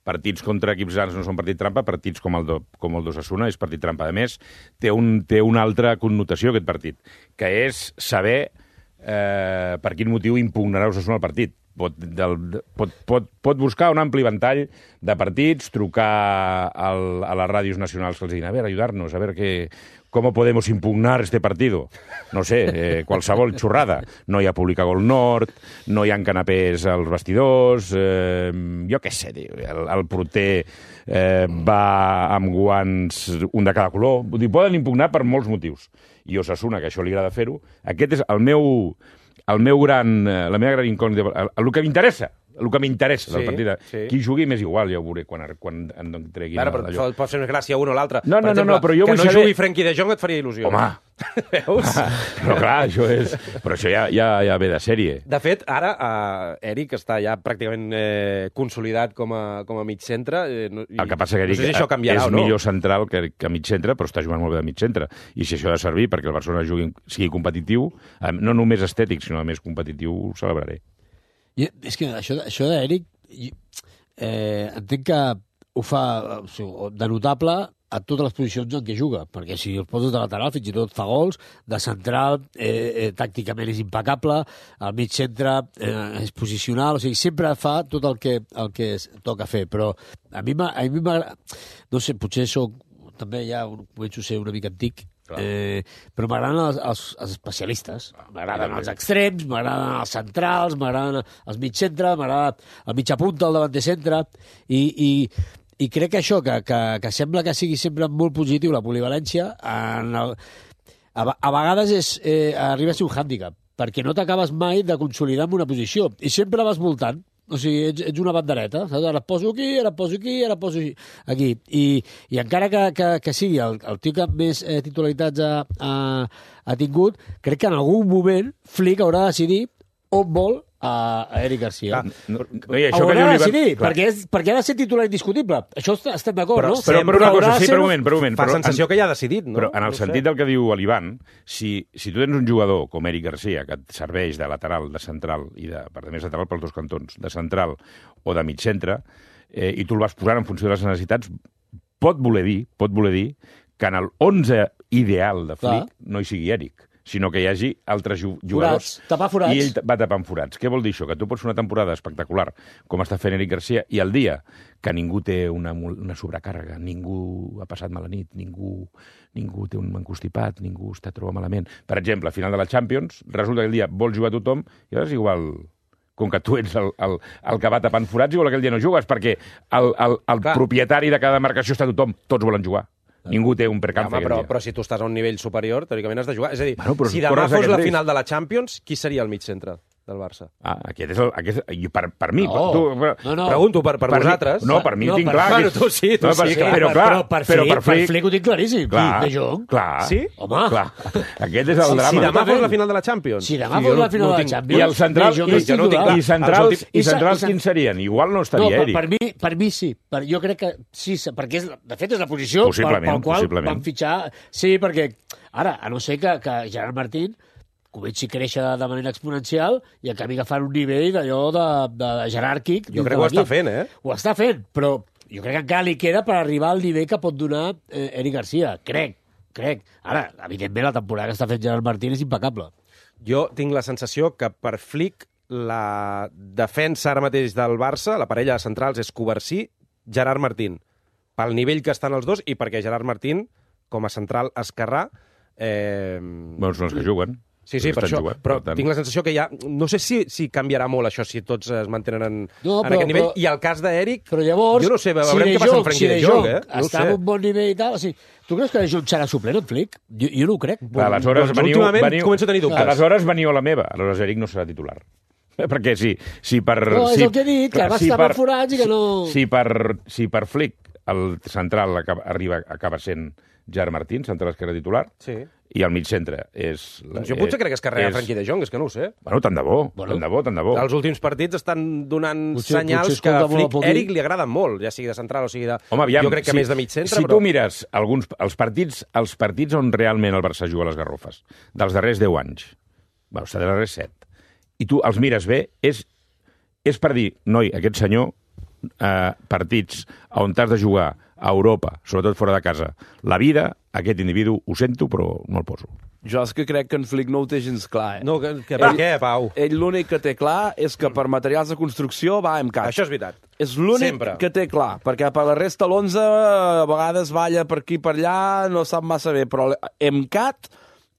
[SPEAKER 3] partits contra equips grans no són partit trampa, partits com el, do, com el d'Osasuna és partit trampa. A més, té, un, té una altra connotació aquest partit, que és saber eh, per quin motiu impugnarà Osasuna el partit. Pot, del, pot, pot, pot buscar un ampli ventall de partits, trucar al, a les ràdios nacionals que els diguin, a veure, ayudarnos, a veure que, com podemos impugnar este partido. No sé, eh, qualsevol xorrada. No hi ha públic a Gol Nord, no hi ha canapés als vestidors, eh, jo què sé, el, el porter eh, va amb guants, un de cada color. Vull dir, poden impugnar per molts motius. I Osasuna, que això li agrada fer-ho, aquest és el meu... El meu gran, la meva gran incògnita, el, el que m'interessa, el que m'interessa del
[SPEAKER 1] Sí,
[SPEAKER 3] partit,
[SPEAKER 1] sí.
[SPEAKER 3] qui jugui més igual, ja ho veuré quan, quan en treguin
[SPEAKER 1] Ara, però
[SPEAKER 3] allò.
[SPEAKER 1] pot, pot fer més gràcia un o l'altre.
[SPEAKER 3] No,
[SPEAKER 1] Per
[SPEAKER 3] no, no,
[SPEAKER 1] exemple,
[SPEAKER 3] no, però jo
[SPEAKER 1] que
[SPEAKER 3] vull
[SPEAKER 1] no
[SPEAKER 3] saber-
[SPEAKER 1] jugui Frenkie de Jong et faria il·lusió.
[SPEAKER 3] Home,
[SPEAKER 1] Veus?
[SPEAKER 3] però clar, això és... Però això ja, ja, ja ve de sèrie.
[SPEAKER 1] De fet, ara eh, Eric està ja pràcticament eh, consolidat com a, com a mig centre. Eh, no, i,
[SPEAKER 3] El que passa que
[SPEAKER 1] no
[SPEAKER 3] Eric
[SPEAKER 1] sé si això canviarà
[SPEAKER 3] és
[SPEAKER 1] o no.
[SPEAKER 3] millor central que, que mig centre, però està jugant molt bé de mig centre. I si això ha de servir perquè el Barcelona jugui, sigui competitiu, eh, no només estètic, sinó a més competitiu, ho celebraré.
[SPEAKER 4] I, és que això, això d'Eric, i- eh, entenc que ho fa o sigui, de notable a totes les posicions en què juga, perquè si el poses de lateral fins i tot fa gols, de central eh, eh, tàcticament és impecable, al mig centre eh, és posicional, o sigui, sempre fa tot el que, el que es toca fer, però a mi m'agrada, no sé, potser soc, també ja començo a ser una mica antic, Eh, però m'agraden els, els, els especialistes, m'agraden els extrems, m'agraden els centrals, m'agraden els mig centre, m'agrada el mitja punta, el davanter centre, i, i, i crec que això, que, que, que sembla que sigui sempre molt positiu la polivalència, en el, a, a vegades és, eh, arriba a ser un hàndicap, perquè no t'acabes mai de consolidar en una posició, i sempre vas voltant. O sigui, ets, ets una bandereta, saps? Ara et poso aquí, ara et poso aquí, ara et poso aquí. I, i encara que, que, que sigui el, el tio que més eh, titularitats ha, ha, ha tingut, crec que en algun moment Flick haurà de decidir on vol a, a Eric Garcia.
[SPEAKER 3] Ah, no, no, i això
[SPEAKER 4] haurà
[SPEAKER 3] que
[SPEAKER 4] de
[SPEAKER 3] diu
[SPEAKER 4] decidir,
[SPEAKER 3] clar.
[SPEAKER 4] perquè, és, perquè ha de ser titular indiscutible. Això est- estem d'acord,
[SPEAKER 3] Però,
[SPEAKER 4] no?
[SPEAKER 3] però, però una cosa, sí, per un moment, per un moment.
[SPEAKER 1] Fa
[SPEAKER 3] però
[SPEAKER 1] sensació
[SPEAKER 3] en,
[SPEAKER 1] que ja ha decidit, no?
[SPEAKER 3] Però en el
[SPEAKER 1] No ho
[SPEAKER 3] sentit
[SPEAKER 1] sé.
[SPEAKER 3] del que diu l'Ivan, si, si tu tens un jugador com Eric Garcia, que et serveix de lateral, de central, i de, per més lateral pels dos cantons, de central o de mig centre, eh, i tu el vas posant en funció de les necessitats, pot voler dir, pot voler dir que en el onze ideal de Flick
[SPEAKER 4] Clar.
[SPEAKER 3] no hi sigui Eric, sinó que hi hagi altres ju- jugadors.
[SPEAKER 4] Forats, tapar forats.
[SPEAKER 3] I ell va tapant forats. Què vol dir això? Que tu pots fer una temporada espectacular, com està fent Eric Garcia, i el dia que ningú té una, mul- una sobrecàrrega, ningú ha passat mala nit, ningú, ningú té un encostipat, ningú està troba malament. Per exemple, a final de la Champions, resulta que el dia vol jugar tothom, i llavors igual com que tu ets el, el, el que va tapant forats, igual aquell dia no jugues, perquè el, el, el
[SPEAKER 1] Clar.
[SPEAKER 3] propietari de cada marcació està tothom, tots volen jugar. Ningú té un percance
[SPEAKER 1] Home,
[SPEAKER 3] aquell
[SPEAKER 1] però,
[SPEAKER 3] dia.
[SPEAKER 1] però si tu estàs a un nivell superior, teòricament has de jugar. És a dir,
[SPEAKER 3] Bueno, però
[SPEAKER 1] si
[SPEAKER 3] si
[SPEAKER 1] demà
[SPEAKER 3] corres
[SPEAKER 1] fos
[SPEAKER 3] aquest
[SPEAKER 1] la
[SPEAKER 3] risc.
[SPEAKER 1] final de la Champions, qui seria el mig centre del Barça?
[SPEAKER 3] Ah, aquest és el... Aquest, i per, per mi...
[SPEAKER 4] No.
[SPEAKER 3] Per, tu, per,
[SPEAKER 4] No, no.
[SPEAKER 1] Pregunto per, per,
[SPEAKER 3] per
[SPEAKER 1] vosaltres.
[SPEAKER 3] Mi, no, per mi
[SPEAKER 4] No,
[SPEAKER 3] tinc
[SPEAKER 4] per-
[SPEAKER 3] clar...
[SPEAKER 1] Bueno,
[SPEAKER 3] que-
[SPEAKER 1] tu sí, tu
[SPEAKER 3] no, per,
[SPEAKER 1] sí,
[SPEAKER 3] Però,
[SPEAKER 1] clar,
[SPEAKER 3] clar,
[SPEAKER 4] però per
[SPEAKER 3] però
[SPEAKER 4] Flick,
[SPEAKER 3] per Flick...
[SPEAKER 4] Flick ho tinc claríssim.
[SPEAKER 3] Clar,
[SPEAKER 4] De Jong.
[SPEAKER 3] clar.
[SPEAKER 1] Sí?
[SPEAKER 4] Home.
[SPEAKER 3] Clar. Aquest és el
[SPEAKER 1] Si
[SPEAKER 3] drama.
[SPEAKER 1] demà fos la final de la Champions.
[SPEAKER 4] Si demà
[SPEAKER 1] Sí,
[SPEAKER 4] fos
[SPEAKER 1] jo
[SPEAKER 4] la
[SPEAKER 1] no-
[SPEAKER 4] final
[SPEAKER 1] no
[SPEAKER 4] de la
[SPEAKER 1] tinc-
[SPEAKER 4] Champions...
[SPEAKER 3] I el central,
[SPEAKER 4] De Jong
[SPEAKER 3] i,
[SPEAKER 4] és titular.
[SPEAKER 3] i centrals,
[SPEAKER 1] Els últims-
[SPEAKER 3] i
[SPEAKER 4] i
[SPEAKER 3] centrals
[SPEAKER 4] sa- i sa-
[SPEAKER 3] quins serien? Igual no
[SPEAKER 4] No,
[SPEAKER 3] estaria
[SPEAKER 4] per,
[SPEAKER 3] Eric.
[SPEAKER 4] per, mi, per mi sí. Per, jo crec que sí, perquè és, de fet és la posició per,
[SPEAKER 3] Possiblement,
[SPEAKER 4] pel qual
[SPEAKER 3] possiblement.
[SPEAKER 4] van fitxar... Sí, perquè ara, a no ser que, que Gerard Martín comenci a créixer de manera exponencial i acabi agafant un nivell d'allò de, de, de jeràrquic.
[SPEAKER 1] Jo crec que ho està fent, eh?
[SPEAKER 4] Ho està fent, però jo crec que encara li queda per arribar al nivell que pot donar eh, Eric Garcia. Crec, crec. Ara, evidentment, la temporada que està fent Gerard Martín és impecable.
[SPEAKER 1] Jo tinc la sensació que per Flick la defensa ara mateix del Barça, la parella de centrals, és Covarsí, Gerard Martín. Pel nivell que estan els dos i perquè Gerard Martín, com a central esquerrà... Eh...
[SPEAKER 3] Bueno, són els que juguen.
[SPEAKER 1] Sí, sí,
[SPEAKER 3] Els
[SPEAKER 1] per
[SPEAKER 3] que estan
[SPEAKER 1] això.
[SPEAKER 3] jugant,
[SPEAKER 1] Però
[SPEAKER 3] per tant.
[SPEAKER 1] tinc la sensació que ja... No sé si, si canviarà molt això, si tots es mantenen en,
[SPEAKER 4] No,
[SPEAKER 1] en
[SPEAKER 4] però-
[SPEAKER 1] aquest nivell.
[SPEAKER 4] però-
[SPEAKER 1] I el cas d'Eric...
[SPEAKER 4] Però llavors,
[SPEAKER 1] Jo no sé, veurem
[SPEAKER 4] De
[SPEAKER 1] què passa amb
[SPEAKER 4] Jong-
[SPEAKER 1] Frenkie
[SPEAKER 4] si
[SPEAKER 1] de
[SPEAKER 4] De
[SPEAKER 1] Jong,
[SPEAKER 4] Jong
[SPEAKER 1] eh? No ho
[SPEAKER 4] està
[SPEAKER 1] sé.
[SPEAKER 4] en un bon nivell i tal, o sigui, tu creus que De Jong serà suplent en Flick? Jo, jo no ho crec.
[SPEAKER 3] Clar, aleshores
[SPEAKER 1] doncs
[SPEAKER 3] veniu,
[SPEAKER 1] últimament
[SPEAKER 3] veniu,
[SPEAKER 1] començo a tenir dubtes.
[SPEAKER 3] Aleshores veniu a la meva. Aleshores Eric no serà titular. Perquè si, si per...
[SPEAKER 4] No, és
[SPEAKER 3] si,
[SPEAKER 4] el que he dit, que va estar per forats i que no...
[SPEAKER 3] Si per, si per Flick el central acaba, arriba, acaba sent Gerard Martín, central esquerre titular,
[SPEAKER 1] Sí.
[SPEAKER 3] i el mig centre és...
[SPEAKER 1] Doncs jo potser crec que es carrega
[SPEAKER 3] és-
[SPEAKER 1] Frenkie de Jong, és que no ho sé.
[SPEAKER 3] Bueno, tant de bo,
[SPEAKER 4] Bueno.
[SPEAKER 3] tant de bo, tant de bo.
[SPEAKER 1] Els últims partits estan donant
[SPEAKER 4] Potser-
[SPEAKER 1] senyals
[SPEAKER 4] potser
[SPEAKER 1] que
[SPEAKER 4] escolta
[SPEAKER 1] a
[SPEAKER 4] molt
[SPEAKER 1] Flick,
[SPEAKER 4] poc dir.
[SPEAKER 1] Eric li agraden molt, ja sigui de central o sigui de...
[SPEAKER 3] Home, aviam,
[SPEAKER 1] jo crec que
[SPEAKER 3] si,
[SPEAKER 1] més de mig centre,
[SPEAKER 3] si
[SPEAKER 1] però...
[SPEAKER 3] tu mires alguns, els, partits, els partits on realment el Barça juga a les Garrofes, dels darrers deu anys, bueno, dels darrers set, i tu els mires bé, és, és per dir, noi, aquest senyor, eh, partits on t'has de jugar a Europa, sobretot fora de casa, la vida, aquest individu, ho sento, però no el poso.
[SPEAKER 2] Jo és que crec que en Flick no ho té gens clar, eh?
[SPEAKER 1] No, que, que per què, Pau?
[SPEAKER 2] Ell l'únic que té clar és que per materials de construcció va a MCAT.
[SPEAKER 1] Això és veritat.
[SPEAKER 2] És l'únic
[SPEAKER 1] Sempre.
[SPEAKER 2] que té clar, perquè per la resta l'onze a vegades balla per aquí per allà, no sap massa bé, però MCAT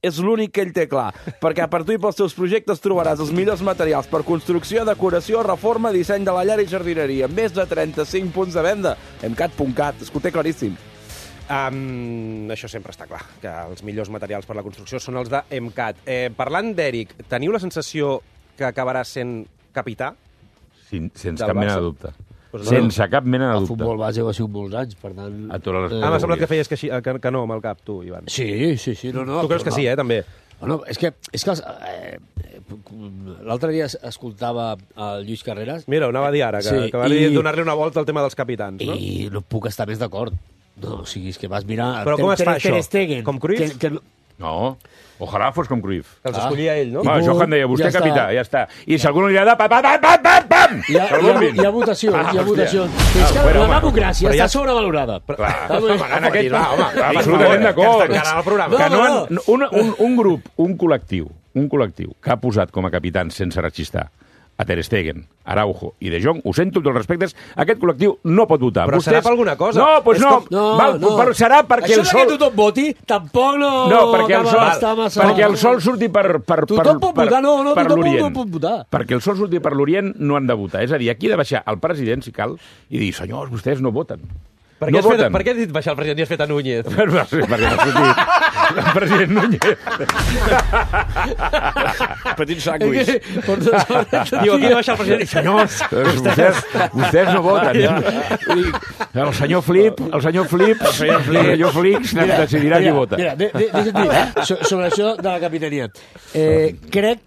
[SPEAKER 2] és l'únic que ell té clar, perquè per tu i pels teus projectes trobaràs els millors materials per construcció, decoració, reforma, disseny de la llar i jardineria. Més de trenta-cinc punts de venda. MCAT punt cat, és que ho té claríssim.
[SPEAKER 1] Um, això sempre està clar, que els millors materials per la construcció són els de MCAT. Eh, parlant d'Eric, teniu la sensació que acabarà sent capità?
[SPEAKER 3] Sin, sense
[SPEAKER 1] Del
[SPEAKER 3] cap mena
[SPEAKER 1] Barça?
[SPEAKER 3] de dubte.
[SPEAKER 1] Pues no.
[SPEAKER 3] Sense cap mena de
[SPEAKER 4] El
[SPEAKER 3] dubte.
[SPEAKER 4] futbol base ho ha sigut molts anys, per tant...
[SPEAKER 3] A totes les
[SPEAKER 1] Ah, m'ha semblat que feies que, així, que, que no amb el cap, tu, Ivan.
[SPEAKER 4] Sí, sí, sí. No, no,
[SPEAKER 1] Tu creus que sí, eh, també?
[SPEAKER 4] Bueno, és que, és que els, eh, l'altre dia es- escoltava el Lluís Carreras
[SPEAKER 1] Mira, ho anava a dir ara, que,
[SPEAKER 4] Sí,
[SPEAKER 1] que va
[SPEAKER 4] i-
[SPEAKER 1] donar-li una volta al tema dels capitans, no?
[SPEAKER 4] i no puc estar més d'acord. No, o sigui, és que vas mirar...
[SPEAKER 1] Però com es fa,
[SPEAKER 4] Ter
[SPEAKER 1] això?
[SPEAKER 4] Stegen,
[SPEAKER 1] Com Cruyff?
[SPEAKER 4] Que, que,
[SPEAKER 3] No, ojalà fos com Cruyff.
[SPEAKER 1] Que els escollia ell, no?
[SPEAKER 3] Va, Johan deia, vostè
[SPEAKER 4] Ja està.
[SPEAKER 3] capità, ja està. I si algú no li agrada, pam, pam, pam, pam, pam!
[SPEAKER 4] Hi ha, hi ha, hi ha votació,
[SPEAKER 3] Ah,
[SPEAKER 4] hi ha
[SPEAKER 3] hòstia.
[SPEAKER 4] votació. Però és que
[SPEAKER 3] bueno,
[SPEAKER 4] la
[SPEAKER 3] home,
[SPEAKER 4] democràcia
[SPEAKER 1] però ja-
[SPEAKER 4] està sobrevalorada.
[SPEAKER 3] Clar,
[SPEAKER 4] Home,
[SPEAKER 3] en aquest...
[SPEAKER 1] va, home, va, per
[SPEAKER 3] absolutament
[SPEAKER 1] favor,
[SPEAKER 3] d'acord.
[SPEAKER 1] que ens tancaran el programa.
[SPEAKER 3] Que
[SPEAKER 4] No,
[SPEAKER 3] no,
[SPEAKER 4] no,
[SPEAKER 3] han- un, un, un grup, un col·lectiu, un col·lectiu que ha posat com a capitans sense rechistar a Ter Stegen, Araujo i De Jong, ho sento amb tots els respectes, aquest col·lectiu no pot votar.
[SPEAKER 1] Però serà per alguna cosa.
[SPEAKER 3] No, doncs
[SPEAKER 1] És
[SPEAKER 3] no,
[SPEAKER 1] com-
[SPEAKER 4] No,
[SPEAKER 3] val,
[SPEAKER 4] no.
[SPEAKER 3] però serà perquè
[SPEAKER 4] Això
[SPEAKER 3] el
[SPEAKER 4] de
[SPEAKER 3] sol...
[SPEAKER 4] que tothom voti tampoc no...
[SPEAKER 3] No, perquè el
[SPEAKER 4] acaba
[SPEAKER 3] sol,
[SPEAKER 4] d'estar massa...
[SPEAKER 3] perquè el sol surti per, per, per,
[SPEAKER 4] Tothom pot
[SPEAKER 3] per,
[SPEAKER 4] votar, no, no,
[SPEAKER 3] per
[SPEAKER 4] tothom
[SPEAKER 3] l'Orient.
[SPEAKER 4] no pot votar.
[SPEAKER 3] Perquè el sol surti per l'Orient no han de votar. És a dir, aquí ha de baixar el president, si cal, i dir, senyors, vostès no voten.
[SPEAKER 1] Per què,
[SPEAKER 3] no
[SPEAKER 1] has fet,
[SPEAKER 3] voten.
[SPEAKER 1] per què has dit baixar el president i has fet a Núñez?
[SPEAKER 3] Perquè m'ha sortit el president Núñez.
[SPEAKER 5] Petit sàndwich.
[SPEAKER 1] Diu, aquí ha de baixar el president i senyors...
[SPEAKER 3] Doncs vostès, vostès no voten. El senyor Flip, el senyor Flip, el senyor Flip, el senyor Flix decidirà qui vota.
[SPEAKER 4] Mira, de, de, deixa't dir, so, sobre això de la capitania. Eh, crec...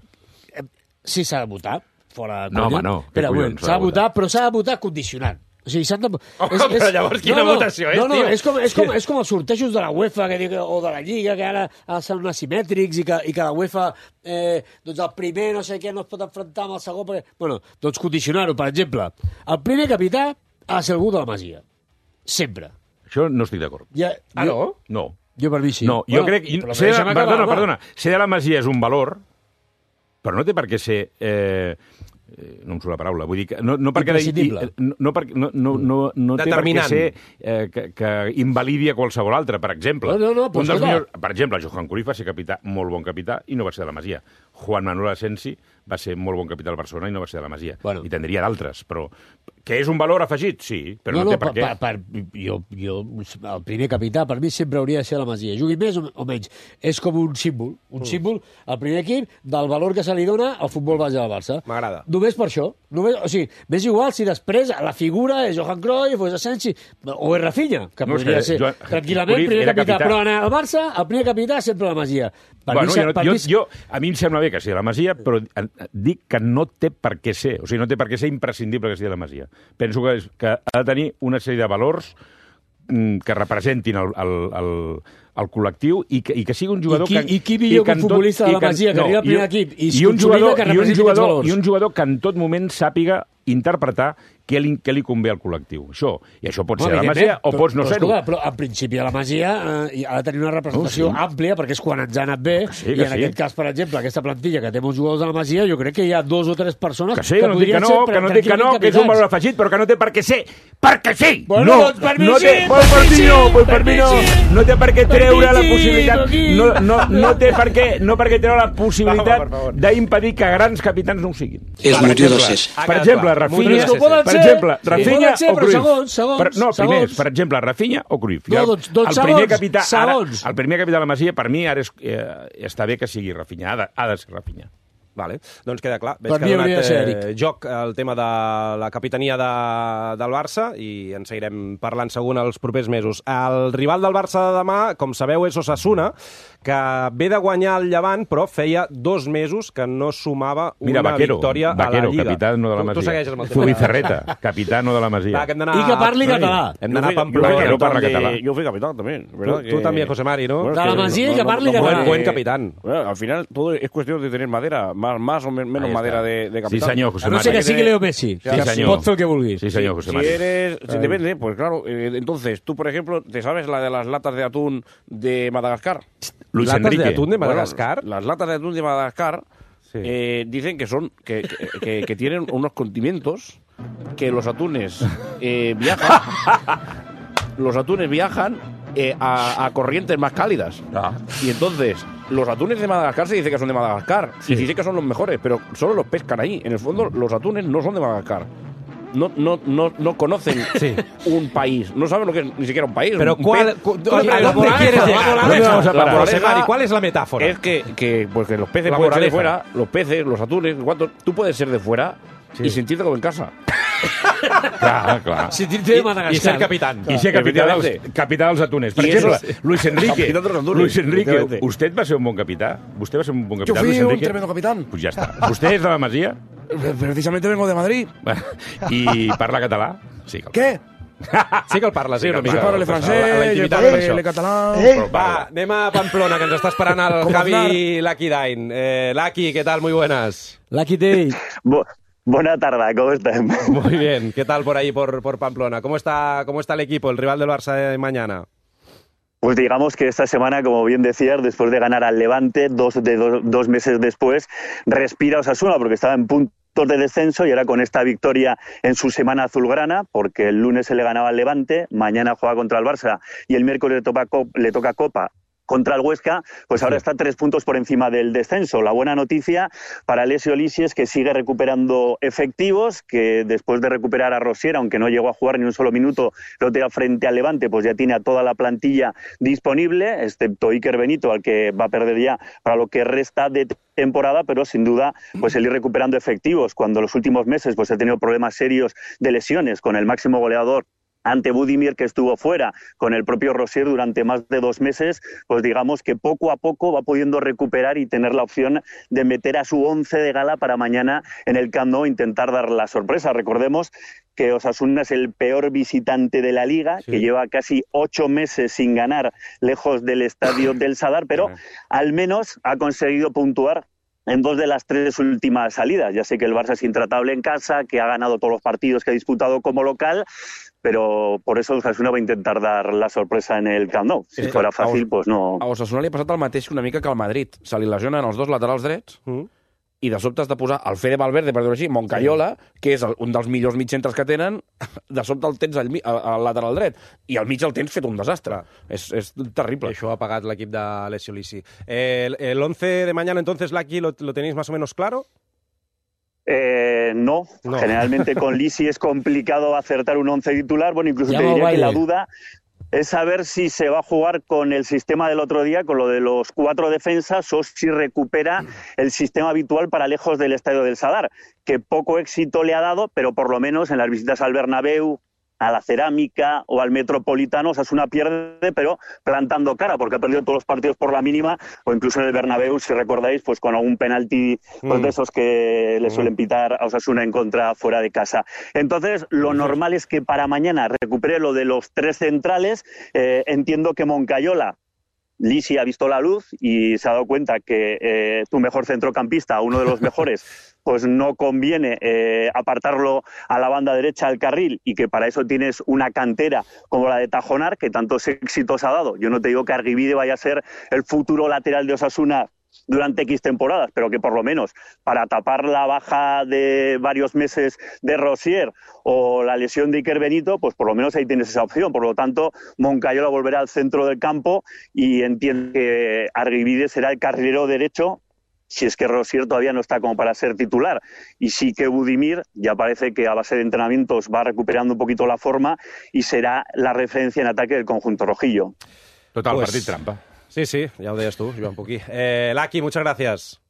[SPEAKER 4] Eh, sí, s'ha de votar, fora de
[SPEAKER 3] No,
[SPEAKER 4] conya.
[SPEAKER 3] home, no. Què
[SPEAKER 4] Espera, un
[SPEAKER 3] collons
[SPEAKER 4] moment, s'ha de votar, però s'ha de votar condicionant. O sigui, s'han de...
[SPEAKER 1] Home, però llavors quina votació és,
[SPEAKER 4] no, no,
[SPEAKER 1] tio?
[SPEAKER 4] És com, és, com, és com els sortejos de la UEFA que dic, o de la Lliga, que ara són asimètrics i que, i que la UEFA, eh, doncs el primer no sé què no es pot enfrontar amb el segon. Perquè... Bueno, doncs condicionar-ho, per exemple. El primer capità ha de ser algú de la Masia. Sempre.
[SPEAKER 3] Això no estic d'acord.
[SPEAKER 4] Ja,
[SPEAKER 1] Ah,
[SPEAKER 4] jo,
[SPEAKER 1] no?
[SPEAKER 3] No.
[SPEAKER 4] Jo per mi sí.
[SPEAKER 3] No, jo crec...
[SPEAKER 4] però
[SPEAKER 3] Ser de,
[SPEAKER 4] deixa'm acabar,
[SPEAKER 3] perdona,
[SPEAKER 4] home.
[SPEAKER 3] perdona. Ser de la Masia és un valor, però no té per què ser... Eh, eh, no em surt la paraula. Vull dir que no, no perquè...
[SPEAKER 4] Imprescindible.
[SPEAKER 3] I, no, no, perquè, no, no, no, no té per què
[SPEAKER 1] Determinant.
[SPEAKER 3] ser eh, que, que invalidi a qualsevol altre, per exemple.
[SPEAKER 4] No, no, no, però
[SPEAKER 3] un dels
[SPEAKER 4] escolta.
[SPEAKER 3] millors, per exemple, Johan Cruyff va ser capità, molt bon capità, i no va ser de la Masia. Juan Manuel Asensi va ser molt bon capità del Barcelona i no va ser de la Masia.
[SPEAKER 4] Bueno.
[SPEAKER 3] I tindria d'altres, però... Que és un valor afegit? Sí, però no,
[SPEAKER 4] no,
[SPEAKER 3] té per,
[SPEAKER 4] per,
[SPEAKER 3] què.
[SPEAKER 4] per, per, jo, jo, el primer capità per mi sempre hauria de ser la Masia. Jugui més o, o menys. És com un símbol. Un mm. símbol, el primer equip, del valor que se li dona al futbol base del Barça.
[SPEAKER 1] M'agrada.
[SPEAKER 4] Només per això. Només, o sigui, m'és igual si després la figura és Johan Cruyff o és Asensi o és Rafinha, que
[SPEAKER 3] No, és
[SPEAKER 4] podria
[SPEAKER 3] que
[SPEAKER 4] ser
[SPEAKER 3] Joan-
[SPEAKER 4] tranquil·lament
[SPEAKER 3] Cruyff
[SPEAKER 4] primer
[SPEAKER 3] era
[SPEAKER 4] capità.
[SPEAKER 3] capità.
[SPEAKER 4] Però en el Barça, el primer capità sempre la Masia. Per
[SPEAKER 3] Bueno,
[SPEAKER 4] mi,
[SPEAKER 3] jo, no-
[SPEAKER 4] per
[SPEAKER 3] jo,
[SPEAKER 4] mi,
[SPEAKER 3] jo, a mi em sembla bé que sigui la Masia, però eh, dic que no té per què ser. O sigui, no té per què ser imprescindible que sigui la Masia. Penso que, és, que ha de tenir una sèrie de valors mm, que representin el, el, el, el col·lectiu i que, i que sigui un jugador...
[SPEAKER 4] I qui-
[SPEAKER 3] que,
[SPEAKER 4] i qui millor que un
[SPEAKER 3] en tot-
[SPEAKER 4] futbolista de
[SPEAKER 3] i
[SPEAKER 4] la Masia, que
[SPEAKER 3] no,
[SPEAKER 4] arriba al
[SPEAKER 3] i
[SPEAKER 4] primer
[SPEAKER 3] un-
[SPEAKER 4] equip i
[SPEAKER 3] i un
[SPEAKER 4] consolida
[SPEAKER 3] jugador,
[SPEAKER 4] que
[SPEAKER 3] i un
[SPEAKER 4] representi aquests
[SPEAKER 3] jugador,
[SPEAKER 4] valors.
[SPEAKER 3] I un jugador que en tot moment sàpiga interpretar què li, què li convé al col·lectiu. Això. I això pot ser de la Masia o pots no
[SPEAKER 4] però,
[SPEAKER 3] ser-ho.
[SPEAKER 4] escolta, però en principi a la Masia eh, ha de tenir una representació
[SPEAKER 3] Oh, sí.
[SPEAKER 4] àmplia perquè és quan ens ha anat bé
[SPEAKER 3] sí,
[SPEAKER 4] i
[SPEAKER 3] que
[SPEAKER 4] en
[SPEAKER 3] sí.
[SPEAKER 4] aquest cas, per exemple, aquesta plantilla que té molts jugadors de la Masia, jo crec que hi ha dos o tres persones
[SPEAKER 3] Que sí, que no dic que
[SPEAKER 4] podrien
[SPEAKER 3] no,
[SPEAKER 4] ser
[SPEAKER 3] que no dic que no, que és un valor afegit, però que no té per què ser. Perquè sí!
[SPEAKER 4] Bueno,
[SPEAKER 3] no,
[SPEAKER 4] doncs per mi
[SPEAKER 3] no
[SPEAKER 4] sí,
[SPEAKER 3] té,
[SPEAKER 4] per
[SPEAKER 3] pues, per
[SPEAKER 4] mi
[SPEAKER 3] mi
[SPEAKER 4] sí,
[SPEAKER 3] no, pues
[SPEAKER 4] per
[SPEAKER 3] per mi
[SPEAKER 4] mi
[SPEAKER 3] no.
[SPEAKER 4] sí.
[SPEAKER 3] No té per què
[SPEAKER 4] Per
[SPEAKER 3] treure
[SPEAKER 4] mi
[SPEAKER 3] la
[SPEAKER 4] sí,
[SPEAKER 3] possibilitat...
[SPEAKER 4] aquí.
[SPEAKER 3] No, no, no té per què, no per què treure la
[SPEAKER 1] Va,
[SPEAKER 3] possibilitat
[SPEAKER 1] per favor.
[SPEAKER 3] d'impedir que grans capitans no ho siguin.
[SPEAKER 8] És
[SPEAKER 3] Per
[SPEAKER 8] motiu de
[SPEAKER 3] exemple,
[SPEAKER 8] ser.
[SPEAKER 1] Ha
[SPEAKER 3] Per
[SPEAKER 1] quedat
[SPEAKER 3] exemple,
[SPEAKER 1] clar.
[SPEAKER 3] Rafinha...
[SPEAKER 1] Motiu de ser.
[SPEAKER 4] Poden
[SPEAKER 3] Per
[SPEAKER 4] ser.
[SPEAKER 3] exemple,
[SPEAKER 4] Sí.
[SPEAKER 3] Rafinha
[SPEAKER 4] Poden ser,
[SPEAKER 3] o
[SPEAKER 4] però
[SPEAKER 3] Cruyff.
[SPEAKER 4] segons, segons,
[SPEAKER 3] Per, no, primers,
[SPEAKER 4] segons.
[SPEAKER 3] per exemple, Rafinha o Cruyff.
[SPEAKER 4] No,
[SPEAKER 3] I el-
[SPEAKER 4] doncs- doncs
[SPEAKER 3] el primer
[SPEAKER 4] segons,
[SPEAKER 3] capità, ara,
[SPEAKER 4] segons.
[SPEAKER 3] el primer capità de la Masia, per mi, ara és, eh, està bé que sigui Rafinha. Ha de, ha de ser Rafinha.
[SPEAKER 1] Vale, doncs queda clar. Veig
[SPEAKER 4] Per
[SPEAKER 1] que
[SPEAKER 4] mi
[SPEAKER 1] ha
[SPEAKER 4] hauria de ser
[SPEAKER 1] donat eh,
[SPEAKER 4] Eric.
[SPEAKER 1] joc el tema de la capitania de, del Barça i en seguirem parlant segur els propers mesos. El rival del Barça de demà, com sabeu, és Osasuna, que ve de guanyar el Llevant, però feia dos mesos que no sumava una
[SPEAKER 3] Mira, Vaquero,
[SPEAKER 1] victòria
[SPEAKER 3] Vaquero,
[SPEAKER 1] a la Lliga.
[SPEAKER 3] capità no de la
[SPEAKER 1] Tu-
[SPEAKER 3] Masia.
[SPEAKER 1] Tu segueixes amb el tema.
[SPEAKER 3] Zubizarreta, capità no de la Masia.
[SPEAKER 1] Va, que hem d'anar...
[SPEAKER 4] I que parli català.
[SPEAKER 1] Hem d'anar a
[SPEAKER 5] Yo fui-
[SPEAKER 1] Pamplona.
[SPEAKER 5] yo fui
[SPEAKER 3] Vaquero
[SPEAKER 5] capitán
[SPEAKER 3] parla
[SPEAKER 5] de-
[SPEAKER 3] català.
[SPEAKER 5] Yo fui capitán también,
[SPEAKER 1] Tú,
[SPEAKER 5] ¿verdad?
[SPEAKER 1] tú
[SPEAKER 5] Que-
[SPEAKER 1] también, José Mari, ¿no?
[SPEAKER 5] Bueno,
[SPEAKER 4] De
[SPEAKER 5] es
[SPEAKER 4] la
[SPEAKER 5] que
[SPEAKER 4] Masia y que parli
[SPEAKER 5] puede-
[SPEAKER 4] català.
[SPEAKER 1] Buen capitán.
[SPEAKER 5] Bueno, al final todo es cuestión de tener madera, más, más o men- menos
[SPEAKER 3] Ahí está.
[SPEAKER 5] madera de, de
[SPEAKER 3] Sí,
[SPEAKER 5] capitán.
[SPEAKER 3] senyor, José
[SPEAKER 4] A no
[SPEAKER 3] Mari.
[SPEAKER 4] ser que sigui Leo Messi,
[SPEAKER 5] Sí,
[SPEAKER 4] que
[SPEAKER 3] senyor.
[SPEAKER 4] pot fer el que vulgui.
[SPEAKER 3] Sí, senyor, José
[SPEAKER 5] Si
[SPEAKER 3] Mari.
[SPEAKER 5] eres, si depende, pues claro. eh, entonces, tú, por ejemplo, ¿te sabes la de las latas de atún de Madagascar?
[SPEAKER 3] Luis
[SPEAKER 1] Latas
[SPEAKER 3] Enrique.
[SPEAKER 1] de atún de
[SPEAKER 5] Bueno,
[SPEAKER 1] Madagascar.
[SPEAKER 5] las latas de atún de Madagascar
[SPEAKER 1] Sí.
[SPEAKER 5] eh, dicen que son que, que- que- que tienen unos condimentos que los atunes eh, viajan. Los atunes viajan eh, a, a corrientes más cálidas.
[SPEAKER 3] Ah.
[SPEAKER 5] Y entonces, los atunes de Madagascar se dice que son de Madagascar. Y se dice que son los mejores, pero solo los pescan ahí. En el fondo, los atunes no son de Madagascar. No, no, no, no conocen un país. No saben lo que es ni siquiera un país.
[SPEAKER 1] Pero
[SPEAKER 5] Un
[SPEAKER 1] ¿cuál,
[SPEAKER 5] pez-
[SPEAKER 1] cu-
[SPEAKER 5] Tú le
[SPEAKER 1] ¿a
[SPEAKER 5] preguntas,
[SPEAKER 1] dónde
[SPEAKER 5] "Moraleja,
[SPEAKER 1] quieres
[SPEAKER 5] la
[SPEAKER 1] llegar?
[SPEAKER 5] moraleja".
[SPEAKER 3] ¿Dónde vamos a
[SPEAKER 5] La
[SPEAKER 3] parar?
[SPEAKER 1] José
[SPEAKER 5] moraleja
[SPEAKER 1] Mari, ¿cuál es la metáfora?
[SPEAKER 5] Es que, que, pues que los peces
[SPEAKER 1] La
[SPEAKER 5] pueden ser de
[SPEAKER 1] moraleja.
[SPEAKER 5] fuera, los peces, los atunes, ¿cuánto? Tú puedes ser de fuera y sentirte como en casa.
[SPEAKER 3] Clar, clar.
[SPEAKER 4] Sentir-te de Madagascar.
[SPEAKER 1] I ser capitán.
[SPEAKER 3] I ser capità dels,
[SPEAKER 5] Efectivamente.
[SPEAKER 3] capità dels atunes. Per
[SPEAKER 5] I
[SPEAKER 3] exemple,
[SPEAKER 5] eso es-
[SPEAKER 3] Luis Enrique.
[SPEAKER 5] Capitán de los atunes,
[SPEAKER 3] Luis Enrique,
[SPEAKER 5] efectivamente.
[SPEAKER 3] usted va ser un bon capità? Vostè va ser un bon
[SPEAKER 5] Yo
[SPEAKER 3] capità,
[SPEAKER 5] fui
[SPEAKER 3] Luis
[SPEAKER 5] un
[SPEAKER 3] Enrique?
[SPEAKER 5] tremendo capitán.
[SPEAKER 3] Pues ja està. Vostè és de la Masia
[SPEAKER 5] Precisamente vengo de Madrid.
[SPEAKER 3] i parla català? Sí.
[SPEAKER 5] ¿Qué?
[SPEAKER 1] Sí que el parla, sí, una
[SPEAKER 5] Je
[SPEAKER 1] mica.
[SPEAKER 5] parle
[SPEAKER 1] A la
[SPEAKER 5] francès, je
[SPEAKER 1] intimitat, per
[SPEAKER 5] parle
[SPEAKER 1] això.
[SPEAKER 5] le català...
[SPEAKER 1] Va, anem a Pamplona, que ens està esperant el
[SPEAKER 5] Com
[SPEAKER 1] Javi
[SPEAKER 5] Aznar.
[SPEAKER 1] Lucky Dain. Eh, Lucky, ¿qué tal? Muy buenas.
[SPEAKER 4] Lucky Day.
[SPEAKER 8] Bu- Buena tarde, ¿cómo están?
[SPEAKER 1] Muy bien. ¿Qué tal por ahí, por, por Pamplona? ¿Cómo está, ¿Cómo está el equipo, el rival del Barça de mañana?
[SPEAKER 8] Pues digamos que esta semana, como bien decías, después de ganar al Levante, dos, de do- dos meses después, respira Osasuna porque estaba en puntos de descenso y ahora con esta victoria en su semana azulgrana, porque el lunes se le ganaba al Levante, mañana juega contra el Barça y el miércoles le toca, cop- le toca Copa contra el Huesca, pues ahora está tres puntos por encima del descenso. La buena noticia para Alessio Lisi es que sigue recuperando efectivos, que después de recuperar a Rosier, aunque no llegó a jugar ni un solo minuto, lo tenga frente al Levante, pues ya tiene a toda la plantilla disponible, excepto Iker Benito, al que va a perder ya para lo que resta de temporada, pero sin duda pues el ir recuperando efectivos, cuando en los últimos meses pues ha tenido problemas serios de lesiones con el máximo goleador ante Budimir, que estuvo fuera, con el propio Rosier durante más de dos meses, pues digamos que poco a poco va pudiendo recuperar y tener la opción de meter a su once de gala para mañana en el Camp Nou, intentar dar la sorpresa. Recordemos que Osasuna es el peor visitante de la Liga,
[SPEAKER 1] Sí.
[SPEAKER 8] que lleva casi ocho meses sin ganar lejos del estadio del Sadar, pero al menos ha conseguido puntuar en dos de las tres últimas salidas. Ya sé que el Barça es intratable en casa, que ha ganado todos los partidos que ha disputado como local, pero por eso Osasuna va a intentar dar la sorpresa en el Camp Nou. Si
[SPEAKER 2] Sí.
[SPEAKER 8] fuera fàcil, pues no...
[SPEAKER 2] A Osasuna li ha passat el mateix una mica que al Madrid. Se li lesionen els dos laterals drets
[SPEAKER 1] Mm.
[SPEAKER 2] i de sobte has de posar el Fede Valverde, per dir-ho així, Moncayola, que és el, un dels millors mitjcentres que tenen, de sobte el tens al, mi- al, al lateral dret. I al mig el tens fet un desastre. És, és terrible.
[SPEAKER 1] Això ha pagat l'equip de Alessio Lisi. Eh, el, el once de mañana, entonces, Lucky, ¿lo, ¿lo tenéis más o menos claro?
[SPEAKER 8] Eh, no.
[SPEAKER 1] No.
[SPEAKER 8] Generalmente con Lisi es complicado acertar un once titular. Bueno, incluso
[SPEAKER 4] Ya
[SPEAKER 8] te
[SPEAKER 4] va
[SPEAKER 8] diría que
[SPEAKER 4] baile.
[SPEAKER 8] la duda es saber si se va a jugar con el sistema del otro día, con lo de los cuatro defensas, o si recupera el sistema habitual para lejos del Estadio del Sadar, que poco éxito le ha dado, pero por lo menos en las visitas al Bernabéu, a la Cerámica o al Metropolitano, Osasuna pierde, pero plantando cara, porque ha perdido todos los partidos por la mínima, o incluso en el Bernabéu, si recordáis, pues con algún penalti pues,
[SPEAKER 1] Mm.
[SPEAKER 8] de esos que le suelen pitar a Osasuna en contra fuera de casa. Entonces, lo normal es que para mañana recupere lo de los tres centrales. Eh, entiendo que Moncayola, Lisi ha visto la luz y se ha dado cuenta que eh, tu mejor centrocampista, uno de los mejores, pues no conviene eh, apartarlo a la banda derecha del carril, y que para eso tienes una cantera como la de Tajonar, que tantos éxitos ha dado. Yo no te digo que Argibide vaya a ser el futuro lateral de Osasuna durante X temporadas, pero que por lo menos para tapar la baja de varios meses de Rosier o la lesión de Iker Benito, pues por lo menos ahí tienes esa opción. Por lo tanto, Moncayola volverá al centro del campo y entiendo que Argibide será el carrilero derecho, si es que Rosier todavía no está como para ser titular. Y sí que Budimir ya parece que a base de entrenamientos va recuperando un poquito la forma y será la referencia en ataque del conjunto rojillo.
[SPEAKER 3] Total,
[SPEAKER 1] Pues-
[SPEAKER 3] partit trampa.
[SPEAKER 1] Sí, sí, ya lo decías tú, Joan Puquí. Eh, Lucky, muchas gracias.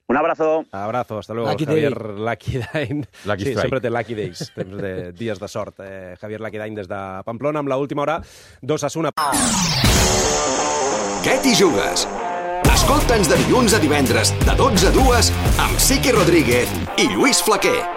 [SPEAKER 8] Un abrazo.
[SPEAKER 1] Abrazo, hasta luego.
[SPEAKER 4] Lucky
[SPEAKER 1] Javier Lucky Dain.
[SPEAKER 3] Lucky
[SPEAKER 1] sí,
[SPEAKER 3] Strike.
[SPEAKER 1] sempre té Lucky Days, temps de dies de sort. Eh, Javier Lucky Dain des de Pamplona, amb l'última hora d'Osasuna.
[SPEAKER 9] Què t'hi jugues? Escolta'ns de dilluns a divendres, de dotze a dues, amb Siqui Rodríguez i Lluís Flaquer.